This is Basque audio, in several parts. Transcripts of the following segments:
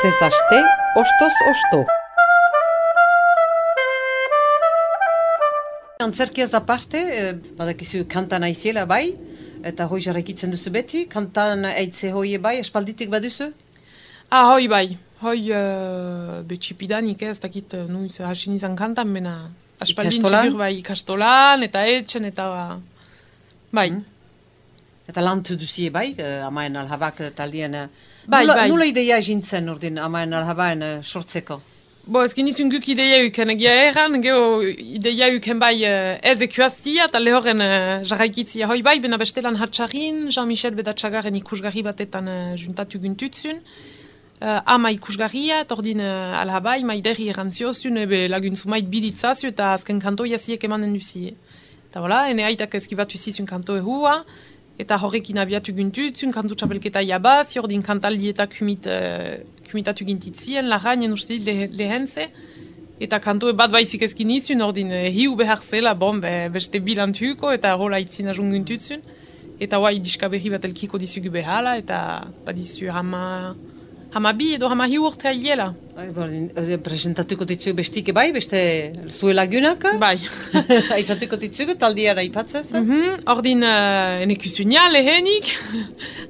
Astez aste, ostoz osto. Antzerkiaz aparte, badakizu kantan aiziela bai, eta hoi jarraikitzen duzu beti, kantan aitze hoi bai, espalditik baduzu? Hoi bai, betxipidanik ez dakit nuiz hasin izan kantan, bena aspaldin txigur bai ikastolan, eta etxen, eta bai. Eta lantu duzie bai, amaen alhabak taldien. Bai. Nula ideia jintzen ordin amaen alhabaen sortzeko? Ezkin izun guk ideia uken egia erran, geho ideia uken bai ez ekuazia, eta lehoren jarraikitzia hoi bai, bena bestelan hatxarin, Jean-Michel Bedatxagaren ikusgarri batetan juntatu guntutzun. Ama ikusgarria, eta ordin alhabai, maideri errantziozun, laguntzu mait biditzazio, eta azken kanto jaziek emanen duzie. Eta hola, ene aitak ezkibatu zizun kanto ehua, eta horrekin abiatu guntutzun, kantu txapelketa jabaz, ordin kantaldi eta kumitatu gintitzien, larainen uste lehenze, eta kanto bat baizik ezkin izun, ordin hiu behar zela, beste bilantuko, eta hola itzin ajun guntutzun, eta hoa idiska berri bat elkiko dizugu behala, eta badizu hama bi edo hama hiu urte ailela. Presentatuko ditzugu bestike bai, beste zue lagunak? Bai. Aipatuko ditzugu, taldiara aipatzez? Ordin enekusunia lehenik,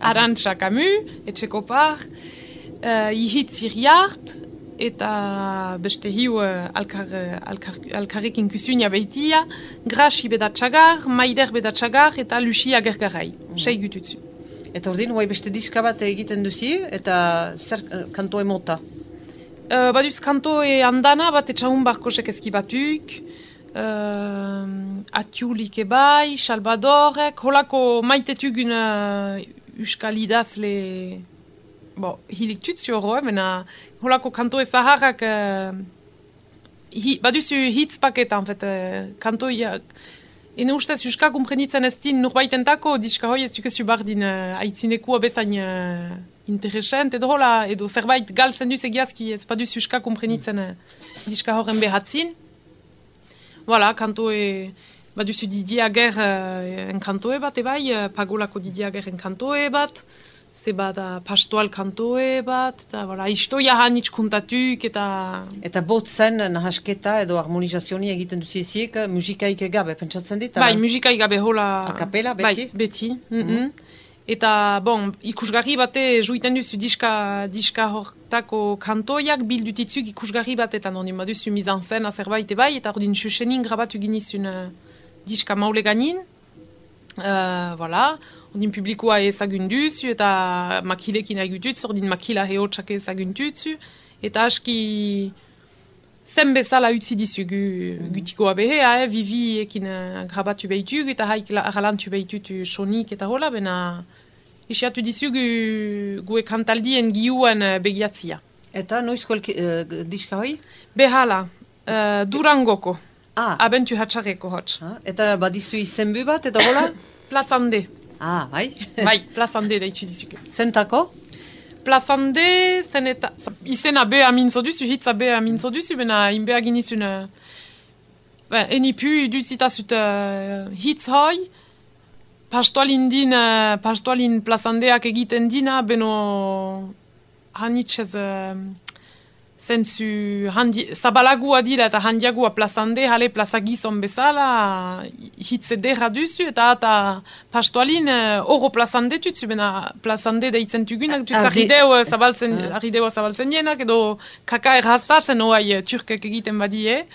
Arantxa Camus, Etxekopar, Ihitz Iriart, eta beste hiu alkarrekin kusunia behitia, Graxi Bedatxagar, Maider Bedatxagar, eta Lucia Gergarai, 6 gututzu. Eta ordin, huai beste diska bat egiten duzi, eta zer kanto emota? Baduz kantoe andana bat etxahun barkosek ezkibatuk, Atiulik ebai, Salvadorek, holako maitetugun euskal idazle hilik tutzio horo, mena holako kantoe zaharrak baduzu hitz paketa, kantoiak. Ene ustez euska kumprenitzen ez din nurbaitentako, diska hoi ez dukezu bardin aitzinekua bezain interesent, edo zerbait galtzen duz egiazki ez baduz euska kumprenitzen diska horren behatzin. Voilà, kantoe, baduzu Didier Ager enkantoe bat ebai, Pagolako Didier Ager enkantoe bat, zebada pastoal kantoe bat, eta istoia hanitz kuntatuk, eta... Eta botzen nahasketa edo harmonizazioni egiten duzieziek musikaik gabe, pentsatzen dit? Bai, musikaik gabe hola... Akapela, beti? Bai, beti. Eta, ikusgarri bate juiten duzu diska hortako kantoiak bildutitzuk ikusgarri batetan, hori baduzu mizan zen zerbait ebai, eta hori xuxenin grabatu ginizun diska maule ganin. Ordin publikoa ezagunduzu eta makilekin agututzu, ordin makila heotxak ezaguntuzu, eta aski zen bezala utzi dizugu gutikoa behea, Vivi ekin grabatu behitugu, eta haik aralantu behitutu sonik eta hola, bena isiatu dizugu gue kantaldien giuan begiatzia. Eta noizko diska hoi? Behala, Durangoko. Abentu hatxareko hotx. Eta badizu izenbu bat, eta hola? Plazande. Bai? Bai, Plazande daitzu dizuke. Zentako? Plazande, zen eta... Izena beha mintzo duzu, hitza beha mintzo duzu, bena inbea ginizun... Enipu duzitazut hitz hoi, pastoalin Plazandeak egiten dina, beno... Hanitxez... Zentzu zabalagua dira eta handiagua plazande, jale plaza gizon bezala, hitz ederra duzu, eta pastoalin oro plazande tutzu, bena plazande deitzen tugunak, arrideo zabaltzen jenak, edo kaka erraztatzen oai turkek egiten badie,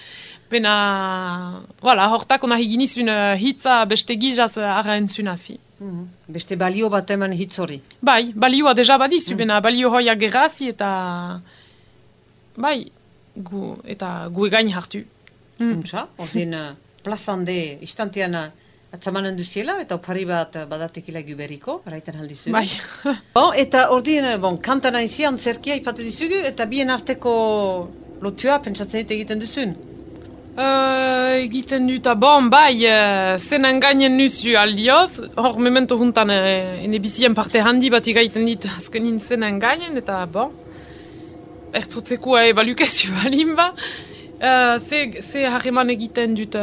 bena, hortako nahi ginizun hitza beste gizaz ara entzunazi. Beste balio bat eman hitz hori? Bai, balioa deja badizu, bena balio hoia gerrazi eta... Bai, eta gu egain hartu. Untsa, ordin plazande istantean atzamanen duziela, eta opari bat badatekila guberiko, raiten aldizu. Bai. Eta ordin, kantana izi antzerkia ipatu dizugu, eta bien arteko lotua pentsatzen egiten duzun? Egiten dut, bai, zenen gainen nuzu aldioz, hor memento juntan ene bizien parte handi bat igaiten dit azkenin zenen gainen, eta ertzotzekoa ebalukazio balin ba. Ze harreman egiten dut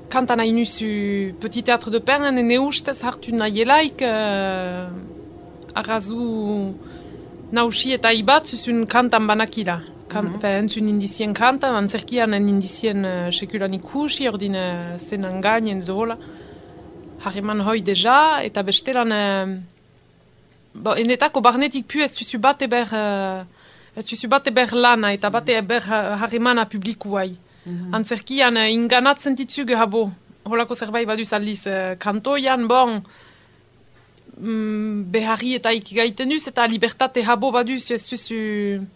kantan hain nuzu Petit Théâtre de Pernen, ene ustez hartu nahielaik arrazu nausi eta ibat zuzun kantan banakila. Entzun indizien kantan, antzerkian indizien sekulan ikusi, ordin zenan gainen edo hola. Harreman hoi deja, eta bestelan... enetako barnetik pu ez duzu bat eber lana, eta bat eber harremana publikuai. Antzerkian inganatzen ditzuge habo, holako zerbait baduz aldiz, kantoian, bon, beharri eta ikigaiten duz, eta libertate habo baduz, ez duzu...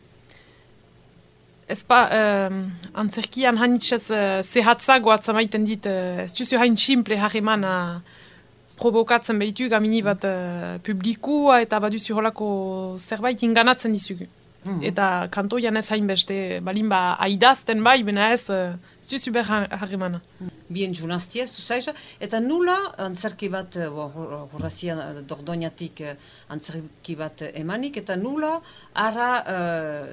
antzerkian hainitxez zehatzago atzamaiten dit, ez duzu hain simple harremana provokatzen behitu gamini bat publikua eta baduzu holako zerbait inganatzen dizugu. Eta kantoian ez hainbeste, balin ba aidazten bai, bena ez duzu behar harremana. Bien junaztia, zuzaiza, eta nula antzerki bat, horrazia Dordoñatik antzerki bat emanik, eta nula ara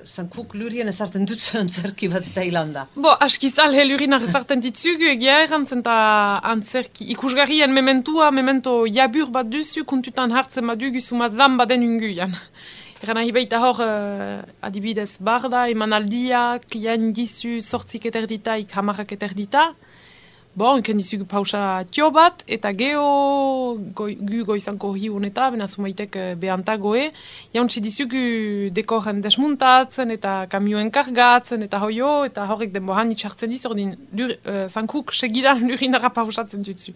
zankuk lurien ezarten dut antzerki bat eta hilanda. Askizal lurinak ezarten ditzugu, egia errantzen eta antzerki, ikusgarrien memento jabur bat duzu, kuntutan hartzen badugu sumat lan baden unguian. Eran nahi baita hor, adibidez barda, emanaldiak, jain dizu sortzik eterditaik, hamarrak eterdita. Ken dizugu pausa tio bat, eta geho gu goizanko hiun eta, bena sumaitek behantagoe. Jauntzi dizugu dekoren desmuntatzen, eta kamioen kargatzen, eta hoio, eta horrek den bohan itxartzen diz, ordin zankuk segidan lurinara pausatzen dutzu.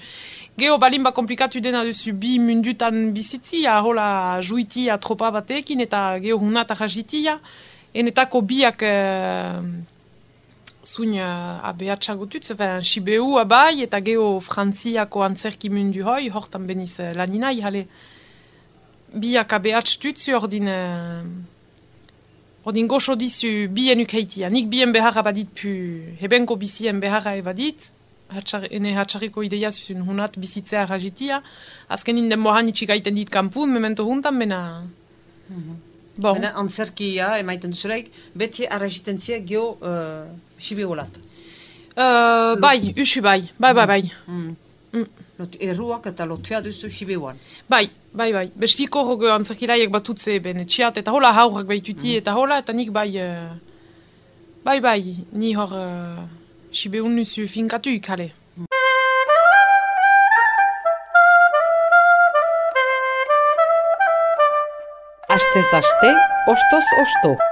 Geho balin ba komplikatu dena duzu bi mundutan bizitzia, hola juitia tropa batekin, eta geho hunata jazitia. Enetako biak... Zuin abehatxagotut, Sibeu abai eta geho Frantziako antzerki mundu hoi, hortan beniz laninai, jale biak abehatxtutzu ordin goxo dizu bien ukeitia. Nik bien beharra badit pu, hebenko bizien beharra ebadit, ene hatxarriko ideia zuzun hunat bizitzea rajitia, azken inden mohan itxigaiten dit kampun, memento huntan, bena... Bena antzerkia emaiten duzulaik, beti arrajitentzia geho Sibeolat. Bai, usu bai. Erruak eta lotua duzu Sibeoan. Bai. Bestiko rogo antzerkilaiek batutze ben etxiat, eta hola haurrak baituti, eta hola, eta nik bai, ni hor Sibeun nuzu finkatu ikale. Astez aste, ostoz osto.